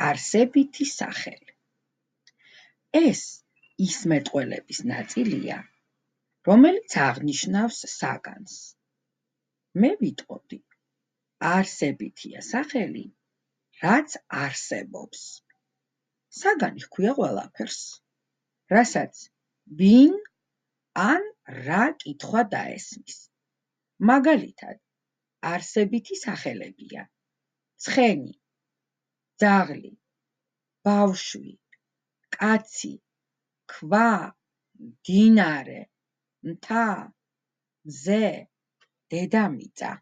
არსებითი სახელი. ეს ის მეტყველების ნაწილია, რომელიც აღნიშნავს საგანს. მე ვიტყოდი, არსებითია სახელი, რაც არსებობს. საგანი ჰქვია ყველაფერს, რასაც ვინ ან რა კითხვა დაესმის. მაგალითად, არსებითი სახელებია: ცხენი, ძაღლი, ბავშვი, კაცი, ქვა, მდინარე, მთა, მზე, დედამიწა.